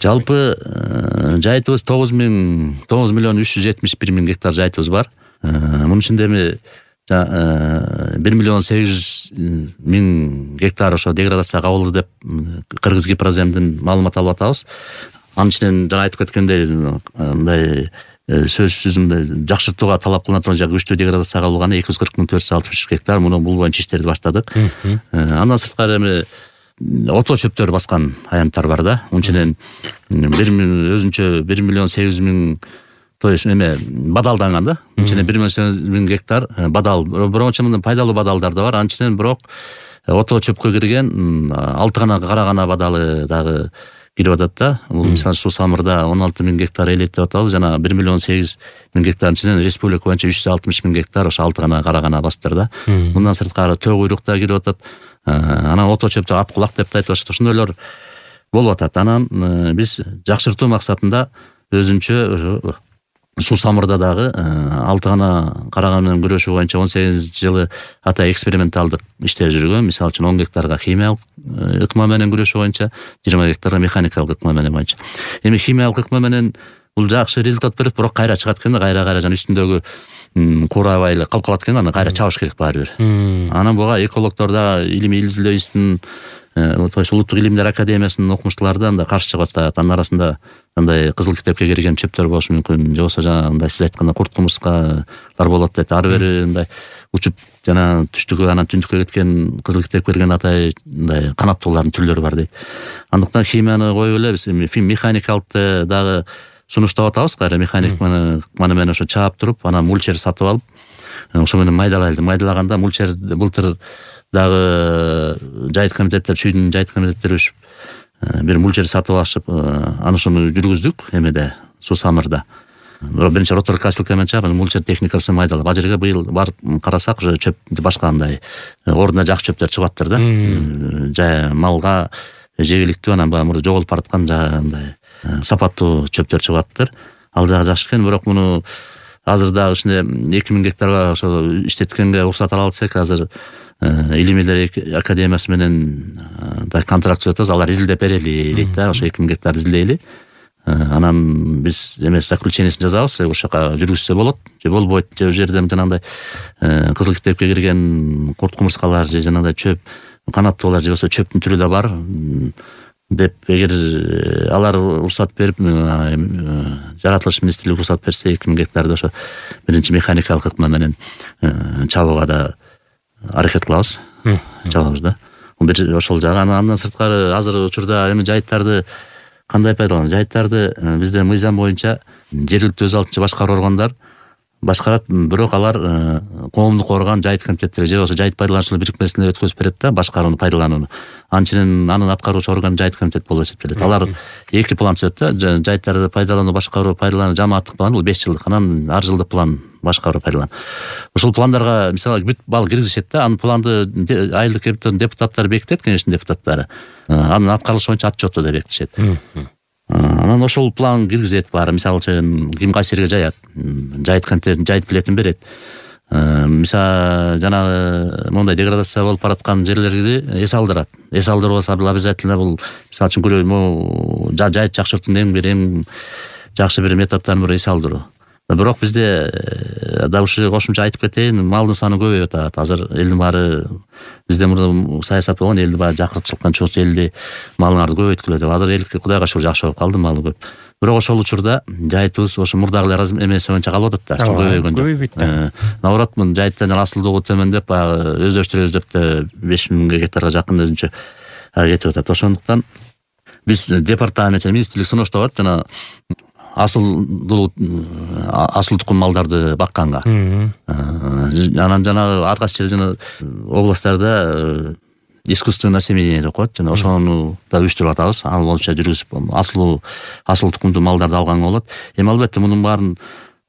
Жалпы жайытыбыз 9.371.000 гектар жайытыбыз бар. Мунун ичинде эми 1.800.000 гектар ошо деградацияга кабылды деп Кыргыз Гипроземден маалымат алып атабыз. Анын ичинен жана айтып кеткендей мындай сөзсүз мындай жакшыртууга талап кылына турган жагы күчтүү деградацияга кабылганы 240.463 гектар. Муну бул боюнча иштерди баштадык. Андан сырткары эми ото чөптөр баскан аянттар бар да. Мунун ичинен өзүнчө 1.800.000 то есть эме бадалданган да. Мунун ичинен 1.800.000 гектар бадал. Бирок мындай пайдалуу бадалдар да бар. Анын ичинен бирок ото чөпкө кирген 6 гана кара гана бадалы дагы кирип атат да. Бул мисалы Суу Самырда 16.000 гектар элет деп атабыз. Жана 1.800.000 гектардын ичинен республика боюнча 360.000 гектар ошо 6 гана кара гана бастыр да. Мындан сырткары төө куйрук да кирип атат. Анан ото чөптөр ат кулак деп айтып атышат. Ошондойлор болуп атат. Анан биз жакшыртуу максатында өзүнчө Суу Самырда дагы 6 гана караган менен күрөшүү боюнча 18 жылы ата эксперименталдык иштер жүргөн. Мисалы үчүн 10 гектарга химиялык ыкма менен күрөшүү боюнча, 20 гектарга механикалык ыкма менен боюнча. Эми химиялык ыкма менен бул жакшы результат берет, бирок кайра чыгат экен, кайра жана үстүндөгү курабай эле калып калат экен, аны кайра чабыш керек баары бир. Анан буга экологдор да, илимий изилдөө институтунун Улуттук илимдер академиясынын окумуштуулары да андай каршы чыгып атат. Анын арасында андай кызыл китепке кирген чөптөр болушу мүмкүн, же болбосо жанагындай сиз айткандай курт кумурскалар болот дейт. Ары бери мындай учуп жана түштүккө анан түндүккө кеткен кызыл китепке кирген атай мындай канаттуулардын түрлөрү бар дейт. Андыктан химияны коюп эле биз механикалыкты дагы сунуштап атабыз. Кайра механиканы менен ошо чаап туруп, анан мульчер сатып алып, ошо менен майдалайлы. Майдалаганда мульчер былтыр дагы жайыт комитеттер, чүйдүн жайыт комитеттери өшүп бир мульчер сатып алышып, анысыны жүргүздүк эмеде Суу Самырда. Бирок биринчи ротор касилка менен чаап, мульчер техникасын майдалап, ал жерге быйыл барып карасак, уже чөп башка андай ордуна жакшы чөптөр чыгып аттыр да. Жай малга жегиликтүү, анан баягы жоголуп бараткан андай сапаттуу чөптөр чыгып аттыр. Ал жагы жакшы экен, бирок муну азыр дагы ушундай 2000 гектарга ошо иштеткенге уруксат ала алсак, азыр илимилер академиясы менен контракт түзүп атабыз. Алар изилдеп берели дейт да, ошо 2000 гектар изилдейли. Анан биз эмес заключениесин жазабыз, ошол жака жүргүзсө болот же болбойт, же жерден жанагындай кызыл китепке кирген курт кумурскалар же жанагындай чөп канаттуулар же болбосо чөптүн түрү да бар деп, эгер алар уруксат берип, жаратылыш министрлиги уруксат берсе 2000 гектарды ошо биринчи механикалык ыкма менен чабууга да аракет кылабыз, чабабыз да. Ошол жагы. Андан сырткары азыр учурда эми жайыттарды кандай пайдаланат? Жайыттарды бизде мыйзам боюнча жергиликтүү өз алдынча башкаруу органдар башкарат, бирок алар коомдук орган, жайыт комитеттери же болбосо жайыт пайдалануучулар бирикмесине өткөзүп берет да башкарууну, пайдаланууну. Анын ичинен анын аткаруучу орган жайыт комитет болуп эсептелет. Алар эки план түзөт да, жайыттарды пайдалануу, башкаруу, пайдалануу, жамааттык план, бул 5 жылдык, анан ар жылдык план, башкаруу, пайдалануу. Ошол пландарга мисалы бүт бал киргизишет да, анын планды айылдык депутаттар бекитет, кеңештин депутаттары. Анын аткарылышы боюнча отчёту да бекитишет. Анан ошол план киргизет баары. Мисалы үчүн ким кайсы жерге жаят, жайыт комитетин жайыт билетин берет. Мисалы жана мондай деградация болуп бараткан жерлерди эс алдырат. Эс алдыруу болсо обязательно бул мисалы үчүн жайыт жакшыртуунун эң жакшы бир методдордун бири эс алдыруу. Бирок бизде да ушул кошумча айтып кетейин, малдын саны көбөйүп атат. Азыр элдин баары бизде мурда саясат болгон, элди баары жакыртчылыктан чыгып элди малыңарды көбөйткүлө деп. Азыр эл Кудайга шүгүр жакшы болуп калды, малы көп. Бирок ошол учурда жайытыбыз ошо мурдагы эмеси боюнча калып атат да, көбөйгөн жок. Наоборот, жайыттан асылдуулугу төмөндөп, баягы өздөштүрөбүз деп да 5000 гектарга жакын өзүнчө кетип атат. Ошондуктан биз департамент, министрлик сунуштап атат жана асыл тукум малдарды бакканга. Анан жанагы ар кайсы жер жана областтарда искусственное осеменение деп коет, жана ошону да уюштуруп атабыз. Ал боюнча жүргүзүп асыл тукумдуу малдарды алганга болот. Эми албетте мунун баарын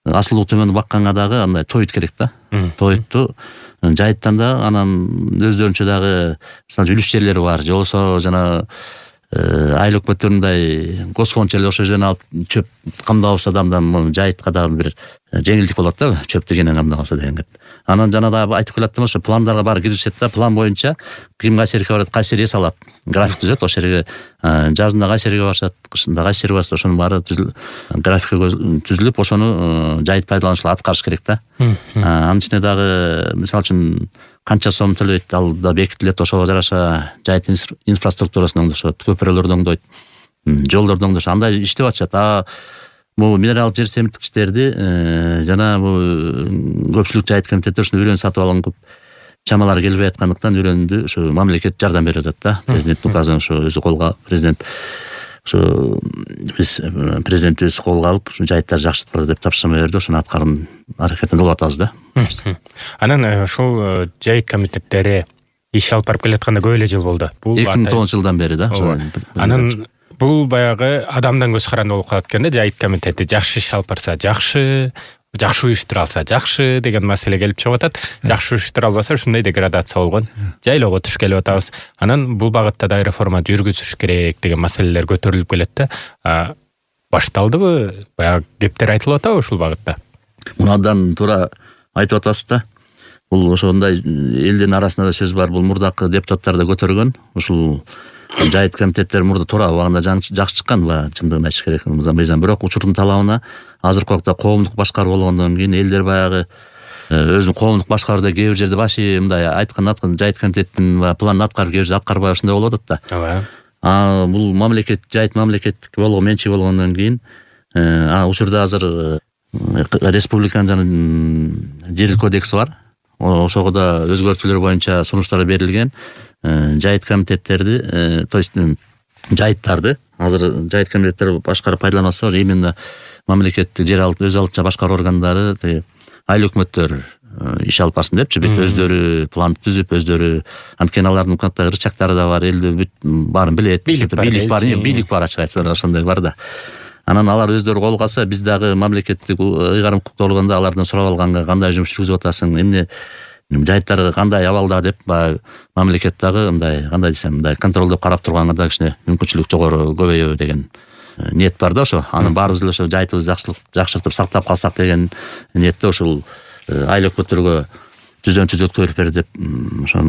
асылуу төмөнү бакканга дагы андай тоют керек да. Тоютту жайыттан да анан өздөрүнчө дагы мисалы үлүш жерлери бар, же болбосо жана айыл өкмөттөрүндай госфонд жерлер, ошол жерден алып чөп камдап алса адамдан жайытка дагы бир жеңилдик болот да, чөптү кенен камдаганда деген кеп. Анан жана да айтып келаттым, ошо пландарга баары киришет да, план боюнча ким кайсы жерге барат, кайсы жерге салат, график түзөт, ошол жерге жазында кайсы жерге барышат, кышында кайсы жерге барышат, ошонун баары графика түзүлүп, ошону жайыт пайдалануучулар аткарыш керек да. Анын ичинде дагы мисалы үчүн канча сом төлөйт, ал да бекитилет, ошого жараша жайыт инфраструктурасын оңдошот, көпүрөлөрдү оңдойт, жолдорду оңдошот, андай иштеп атышат. Бул минералдык жер семиттикичтерди жана бул көпчүлүк жайыт комитеттер ушуну үйрөнүп сатып алган, көп чамалар келбей аткандыктан үйрөндү, ушу мамлекет жардам берип атат да. Президенттин указын ошо өзү колго, президент ошо биз президентибиз колго алып, ушу жайыттарды жакшырткыла деп тапшырма берди, ошону аткаруу аракетин кылып атабыз да. Анан ушул жайыт комитеттери иш алып барып келатканда көп эле жыл болду. Бул 2009-жылдан бери да. Анан бул баягы адамдан көз каранды болуп калат экен да, жайыт комитети жакшы иш алып барса жакшы уюштура алса жакшы деген маселе келип чыгып атат. Жакшы уюштура албаса ушундай деградация болгон жайлоого туш келип атабыз. Анан бул багытта да реформа жүргүзүш керек деген маселелер көтөрүлүп келет да. Башталдыбы? Баягы кептер айтылып атабы ушул багытта? Мунадан туура айтып атасыз да. Бул ошондой элдин арасында да сөз бар. Бул мурдакы депутаттар да көтөргөн. Ушул жайыт комитеттер мурда туура убагында жакшы чыккан, чындыгын айтыш керек мыйзам. Бирок учурдун талабына азыркы убакта коомдук башкаруу болгондон кийин элдер баягы өзүнүн коомдук башкарууда кээ бир жерде башы мындай айткан жайыт комитеттин планын аткарып, кээ бир жерде аткарбай ушундай болуп атат да. Бул мамлекет, жайыт мамлекеттик менчи болгондон кийин учурда азыр республиканын жана жер кодекси бар. Ошого да өзгөртүүлөр боюнча сунуштар берилген. Жайыт комитеттерди, то есть жайыттарды азыр жайыт комитеттер башкарып пайдаланса, именно мамлекеттик жер өз алдынча башкаруу органдары, айыл өкмөттөр иш алып барсын депчи, бүт өздөрү план түзүп, өздөрү, анткени алардын канттай ырчактары да бар, элди бүт баарын билет, бийлик бар ачык айтсак, ошондой бар да. Анан алар өздөрү колго алса, биз дагы мамлекеттик ыйгарым укуктуу болгондо алардан сурап алганга кандай жұмыс жүргүзүп атасың, эмне жайыттар кандай абалда деп мамлекет дагы мындай, кандай десем, мындай контролдоп карап турганга да кичине мүмкүнчүлүк жогору көбөйөбү деген ниет бар да. Ошо анын баарыбыз эле ошо жайытыбызды жакшыртып сактап калсак деген ниетте ушул айыл өкмөттөргө түздөн түз өткөрүп бер деп ошо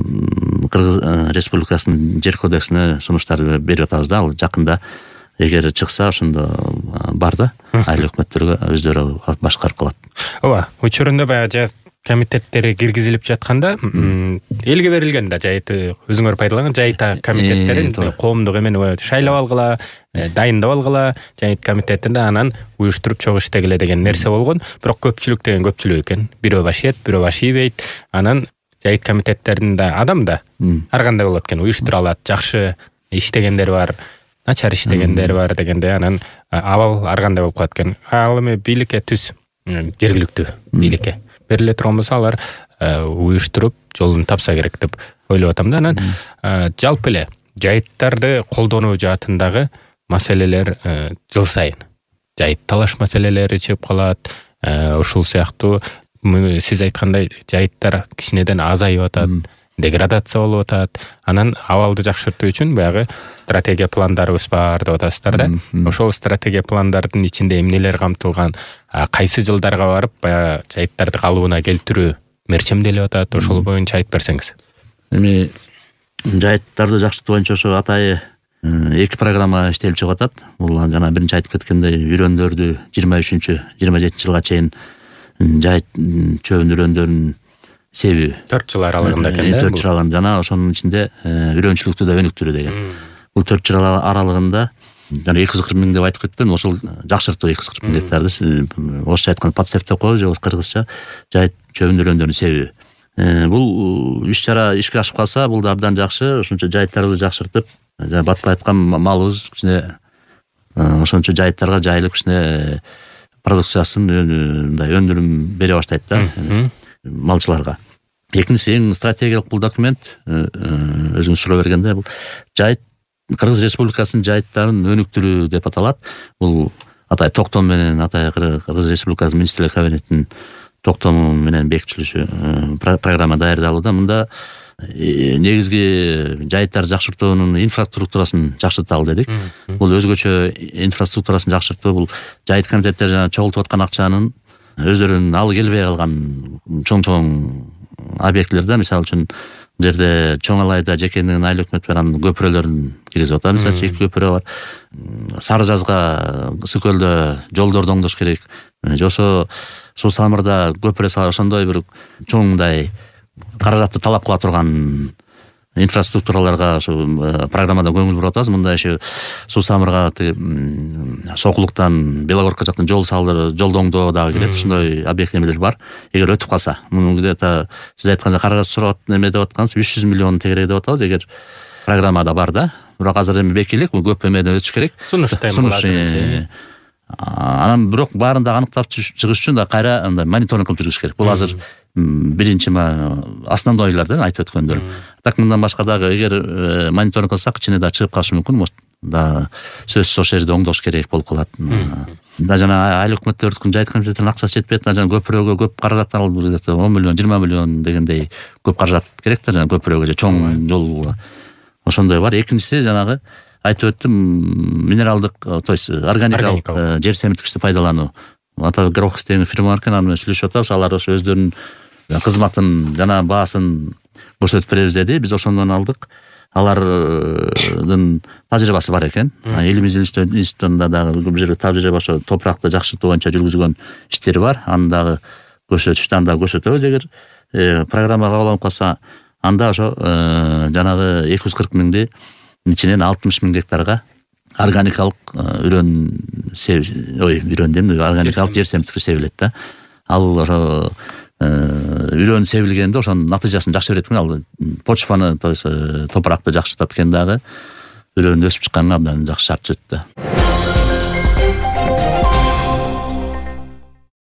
Кыргыз Республикасынын жер кодексине сунуштар берип атабыз да. Ал жакында эгер чыкса ошондо бар да, айыл өкмөттөргө өздөрү башкарып калат. Ооба, учурунда баягы жайыт комитеттери киргизилип жатканда элге берилген да, жайыт өзүңөр пайдалаган жайыт комитеттерин коомдук эмен шайлап алгыла, дайындап алгыла, жайыт комитетинде анан уюштуруп чогуу иштегиле деген нерсе болгон. Бирок көпчүлүк деген көпчүлүк экен. Бирөө баш ийет, бирөө баш ийбейт. Анан жайыт комитеттеринин да адам да ар кандай болот экен, уюштура алат, жакшы иштегендер бар, начар иштегендер бар дегенде, анан абал ар кандай болуп калат экен. Ал эми бийликке түз, жергиликтүү бийликке бериле турган болсо, алар уюштуруп жолун тапса керек деп ойлоп атам да. Анан жалпы эле жайыттарды колдонуу жаатындагы маселелер жыл сайын жайыт талаш маселелери чыгып калат. Ушул сыяктуу сиз айткандай жайыттар кичинеден азайып атат, деградация болуп атат. Анан абалды жакшыртуу үчүн баягы стратегия пландарыбыз бар деп атасыздар да. Ошол стратегия пландардын ичинде эмнелер камтылган, кайсы жылдарга барып баягы жайыттарды калыбына келтирүү мерчемделип атат, ошол боюнча айтып берсеңиз. Эми жайыттарды жакшыртуу боюнча ошо атайы 2 программа иштелип чыгып атат. Бул жана биринчи айтып кеткендей үрөндөрдү 23-27 жылга чейин жайыт чөбүн үрөндөрүнүн себеби 4 жыл аралыгында экен да. 4 жыл аралыгында, жана ошонун ичинде үрөнчүлүктү да өнүктүрүү деген. Бул 4 жыл аралыгында жана 240 миң деп айтып кеттим. Ошол жакшыртуу 240 миң гектарды, орусча айтканда подсев деп коебуз, же кыргызча жайыт чөбүн үрөндөрүнүн себеби. Бул иш-чара ишке ашып калса, бул да абдан жакшы. Ошончо жайыттарыбызды жакшыртып, батпай аткан малыбыз кичине ошончо жайыттарга жайылып кичине продукциясын мындай өндүрүм бере баштайт да малчыларга. Экинчиси эң стратегиялык бул документ, өзүңүз суроо бергенде, бул жайыт Кыргыз Республикасынын жайыттарын өнүктүрүү деп аталат. Бул атай токтом менен, атай Кыргыз Республикасынын министрлер кабинетинин токтому менен бекитилиши программа даярдалууда. Мында негизги жайыттар жакшыртуунун инфраструктурасын жакшырталы дедик. Бул өзгөчө инфраструктурасын жакшыртуу, бул жайыт комитеттер жана чогултуп аткан акчанын өздөрүнүн алы келбей калган чоң объектилерде, мисалы үчүн жерде Чоң Алайда жекенин айыл өкмөт менен көпүрөлөрүн киргизип атат. Мисалы үчүн 2 көпүрө бар. Сары жазга Ысык көлдө жолдорду оңдош керек. Жосо Суу Самырда көпүрө салып ошондой бир чоңдай каражатты талап кыла турган инфраструктураларга ошо программада көңүл буруп атабыз. Мындай ошо Суу Самырга Сокулуктан Белогорка жактан жолду оңдоо дагы кирет. Ошондой объектилер бар. Эгер өтүп калса, муну где-то сиз айтканча каражат сурап эме деп аткансыз, 300 миллион тегерек деп атабыз. Эгер программада бар да. Бирок азыр эми бекилик, бул көп эмеден өтүш керек. Анан бирок баарын да аныктап чыгыш үчүн да кайра андай мониторинг кылып жүрүш керек. Бул азыр биринчи основнойлордон айтып өткөндөр. Так мындан башка дагы эгер мониторинг кылсак ичине да чыгып калышы мүмкүн. Да сөзсүз ошол жерде оңдош керек болуп калат. Да жана айыл өкмөттөрдүн жайыт комитеттеринин акчасы жетпейт да, жана көпүрөгө көп каражат алып 10 миллион, 20 миллион дегендей көп каражат керек да, жана көпүрөгө же чоң жол. Ошондой бар. Экинчиси жанагы айтып өттүм, минералдык, то есть органикалык жер семирткичти пайдалануу. Ата Грохс деген фирма бар экен, аны менен сүйлөшүп атабыз. Алар ошо өздөрүнүн кызматын жана баасын көрсөтүп беребиз деди. Биз ошондон алдык. Алардын тажрыйбасы бар экен. Элибиз институтунда дагы бир жерге тажрыйба ошо топуракты жакшыртуу боюнча жүргүзгөн иштери бар. Аны дагы көрсөтүштү, аны дагы көрсөтөбүз. Эгер программа кабыл алынып калса, анда ошо жанагы 240 миңди ичинен 60 миң гектарга органикалык органикалык жер семирткичи себилет да. Ал ошо үрөн себилгенде ошонун натыйжасын жакшы берет экен. Ал почваны, то есть топуракты жакшыртат экен дагы. Үрөн өсүп чыкканга абдан жакшы шарт түзөт да.